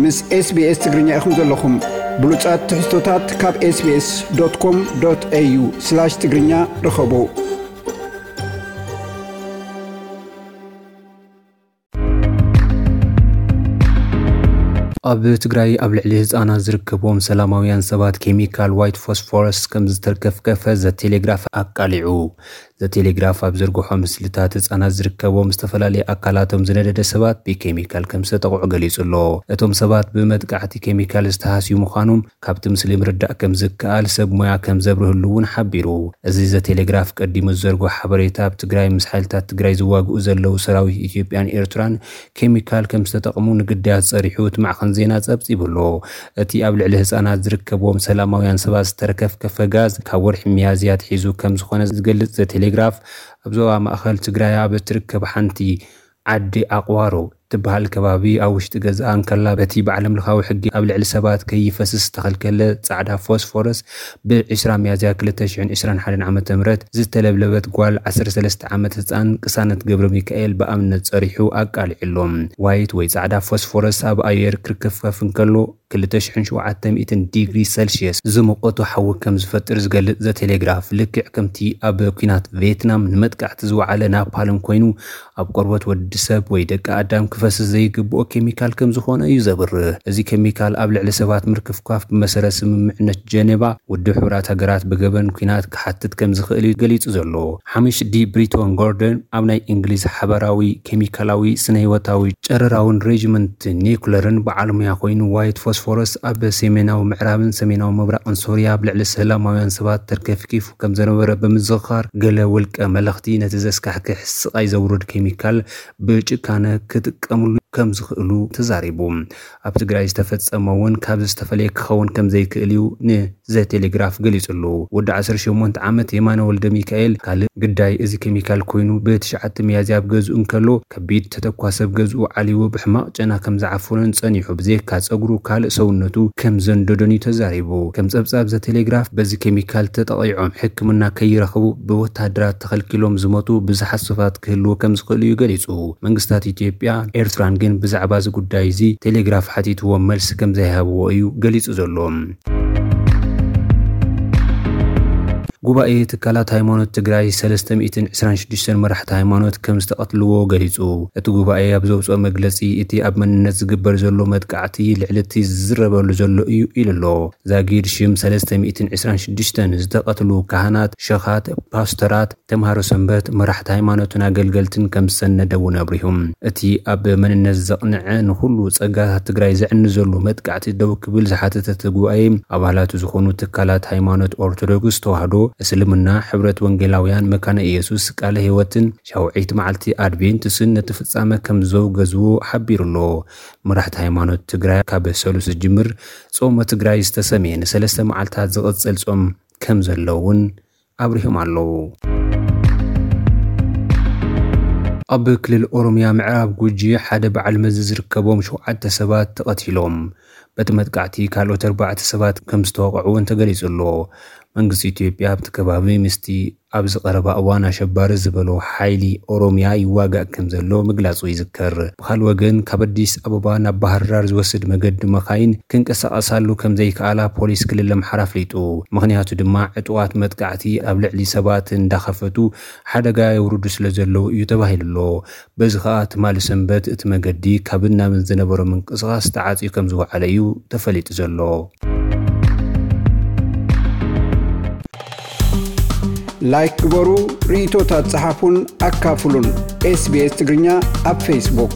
ምስ SBS ትግርኛ ኢኹም ዘለኹም። ብሉጻት ትሕዝቶታት ካብ SBS.com.au/ትግርኛ ርኸቡ። ኣብ ትግራይ ኣብ ልዕሊ ህፃናት ዝርከብዎም ሰላማውያን ሰባት ኬሚካል ዋይት ፎስፎረስ ከም ዝተርከፍከፈ ዘ ቴሌግራፍ ኣቃሊዑ። ዘ ቴሌግራፍ ኣብ ዘርግሖ ምስልታት ህፃናት ዝርከብዎም ዝተፈላለየ ኣካላቶም ዝነደደ ሰባት ብኬሚካል ከም ዝተጠቕዑ ገሊጹ ኣሎ። እቶም ሰባት ብመጥቃዕቲ ኬሚካል ዝተሃስዩ ምዃኖም ካብቲ ምስሊ ምርዳእ ከም ዝከኣል ሰብ ሞያ ከም ዘብርህሉ እውን ሓቢሩ። እዚ ዘ ቴሌግራፍ ቀዲሙ ዝዘርግሖ ሓበሬታ ኣብ ትግራይ ምስ ሓይልታት ትግራይ ዝዋግኡ ዘለዉ ሰራዊት ኢትዮጵያን ኤርትራን ኬሚካል ከም ዝተጠቕሙ ንግዳያት ጸሪሑ እቲ ማዕኸን ዜና ጸብጺቡ ኣሎ። እቲ ኣብ ልዕሊ ህጻናት ዝርከብዎም ሰላማውያን ሰባት ዝተርከፍከፈ ጋዝ ካብ ወርሒ ሚያዝያ ኣትሒዙ ከም ዝኾነ ዝገልጽ ዘ ቴሌግራፍ፣ ኣብ ዞባ ማእኸል ትግራይ ኣብ እትርከብ ሓንቲ ዓዲ ኣቕዋሮ ትበሃል ከባቢ ኣብ ውሽጢ ገዝኣ እንከላ በቲ ብዓለም ለኻዊ ሕጊ ኣብ ልዕሊ ሰባት ከይፈስስ ዝተኸልከለ ጻዕዳ ፎስፎረስ ብ ዕስራ ሚያዝያ ክልተ ሽሕን ዕስራን ሓደን ዓመተ ምህረት ዝተለብለበት ጓል ዓሰርተ ሰለስተ ዓመት ህጻን ቅሳነት ገብረ ሚካኤል ብኣብነት ጸሪሑ ኣቃሊዑ ኣሎ። ዋይት ወይ ጻዕዳ ፎስፎረስ ኣብ ኣየር ክርከፍከፍ እንከሎ ክልተ ሽሕን ሸውዓተ ሚእትን ዲግሪ ሰልሽየስ ዝሙቐቱ ሓዊ ከም ዝፈጥር ዝገልጽ ዘ ቴሌግራፍ፣ ልክዕ ከምቲ ኣብ ኲናት ቪየትናም ንመጥቃዕቲ ዝወዓለ ናፓልም ኮይኑ፣ ኣብ ቆርበት ወዲ ሰብ ወይ ደቂ ኣዳም ክፈስስ ዘይግብኦ ኬሚካል ከም ዝኾነ እዩ ዘብርህ። እዚ ኬሚካል ኣብ ልዕሊ ሰባት ምርክፍካፍ ብመሰረት ስምምዕነት ጀኔቫ ውድብ ሕቡራት ሃገራት ብገበን ኲናት ክሓትት ከም ዝኽእል እዩ ገሊጹ ዘሎ። ሓሚሽ ዲ ብሪቶን ጎርደን ኣብ ናይ እንግሊዝ ሓበራዊ ኬሚካላዊ ስነ-ህይወታዊ ጨረራውን ሬጅመንት ኒኩለርን በዓል ሞያ ኮይኑ፣ ዋይት ፎስፎረስ ኣብ ሰሜናዊ ምዕራብን ሰሜናዊ ምብራቕን ሶርያ ኣብ ልዕሊ ሰላማውያን ሰባት ተርከፍኪፉ ከም ዝነበረ ብምዝኽኻር፣ ገለ ውልቀ መለኽቲ ነቲ ዘስካሕክሕ ስቓይ ዘውርድ ኬሚካል ብጭካነ ክጥቀምሉ ከም ዝኽእሉ ተዛሪቡ። ኣብ ትግራይ ዝተፈጸመ እውን ካብዚ ዝተፈለየ ክኸውን ከም ዘይክእል እዩ ንዘ ቴሌግራፍ ገሊጹ ኣሎ። ወዲ ዓሰርተ ሸሞንተ ዓመት የማነ ወልደ ሚካኤል ካልእ ግዳይ እዚ ኬሚካል ኮይኑ፣ ብትሽዓተ ሚያዝያ ኣብ ገዝኡ እንከሎ ከቢድ ተተኳሲ ኣብ ገዝኡ ዓሊቡ ብሕማቕ ጨና ከም ዝዓፈኖን ጸኒሑ ብዘይካ ጸጉሩ ካልእ ሰውነቱ ከም ዘንደዶን እዩ ተዛሪቡ። ከም ጸብጻብ ዘ ቴሌግራፍ፣ በዚ ኬሚካል ተጠቒዖም ሕክምና ከይረኽቡ ብወታደራት ተኸልኪሎም ዝሞቱ ብዙሓት ሰባት ክህልዉ ከም ዝኽእሉ እዩ ገሊጹ። መንግስታት ኢትዮጵያ ኤርትራን ግን ብዛዕባ እዚ ጉዳይ እዚ ቴሌግራፍ ሓቲትዎም መልሲ ከም ዘይሃብዎ እዩ ገሊጹ ዘሎ። ጉባኤ ትካላት ሃይማኖት ትግራይ ሰለስተ ሚእትን ዕስራን ሽዱሽተን መራሕቲ ሃይማኖት ከም ዝተቐትልዎ ገሊጹ። እቲ ጉባኤ ኣብ ዘውፅኦ መግለፂ፣ እቲ ኣብ መንነት ዝግበር ዘሎ መጥቃዕቲ ልዕሊ እቲ ዝዝረበሉ ዘሎ እዩ ኢሉ ኣሎ። ዛጊድ ሽም ሰለስተ ሚእትን ዕስራን ሽዱሽተን ዝተቐትሉ ካህናት፣ ሸኻት፣ ፓስተራት፣ ተምሃሮ ሰንበት፣ መራሕቲ ሃይማኖትን ኣገልገልትን ከም ዝሰነደ እውን ኣብሪሁ። እቲ ኣብ መንነት ዘቕንዐ ንኹሉ ጸጋታት ትግራይ ዘዕኒ ዘሎ መጥቃዕቲ ደው ክብል ዝሓተተ እቲ ጉባኤ፣ ኣባላቱ ዝኾኑ ትካላት ሃይማኖት ኦርቶዶክስ ተዋህዶ፣ እስልምና፣ ሕብረት ወንጌላውያን መካነ ኢየሱስ ቃለ ሕይወትን ሻውዒት መዓልቲ ኣድቬንትስን ነቲ ፍጻመ ከም ዘውገዝዎ ሓቢሩ ኣሎ። መራሕቲ ሃይማኖት ትግራይ ካብ ሰሉስ ዝጅምር ጾመ ትግራይ ዝተሰምየ ንሰለስተ መዓልታት ዝቕጽል ጾም ከም ዘሎ እውን ኣብሪሆም ኣለዉ። ኣብ ክልል ኦሮምያ ምዕራብ ጉጂ ሓደ በዓል መዚ ዝርከቦም ሸውዓተ ሰባት ተቐቲሎም። በቲ መጥቃዕቲ ካልኦት ኣርባዕተ ሰባት ከም ዝተወቕዑ እውን ተገሊጹ ኣሎ። መንግስቲ ኢትዮጵያ ኣብቲ ከባቢ ምስቲ ኣብዚ ቀረባ እዋን ኣሸባሪ ዝበሎ ሓይሊ ኦሮምያ ይዋጋእ ከም ዘሎ ምግላጹ ይዝከር። ብኻልእ ወገን፣ ካብ ኣዲስ ኣበባ ናብ ባህር ዳር ዝወስድ መገዲ መኻይን ክንቀሳቐሳሉ ከም ዘይከኣላ ፖሊስ ክልል ኣምሓራ ኣፍሊጡ። ምኽንያቱ ድማ ዕጡቓት መጥቃዕቲ ኣብ ልዕሊ ሰባት እንዳኸፈቱ ሓደጋ የውርዱ ስለ ዘለዉ እዩ ተባሂሉ ኣሎ። በዚ ኸኣ ትማሊ ሰንበት እቲ መገዲ ካብን ናብን ዝነበሮ ምንቅስቓስ ተዓጽዩ ከም ዝወዓለ እዩ ተፈሊጡ ዘሎ። ላይክ ግበሩ፣ ርእይቶታት ጸሓፉን ኣካፍሉን። ኤስቢኤስ ትግርኛ ኣብ ፌስቡክ።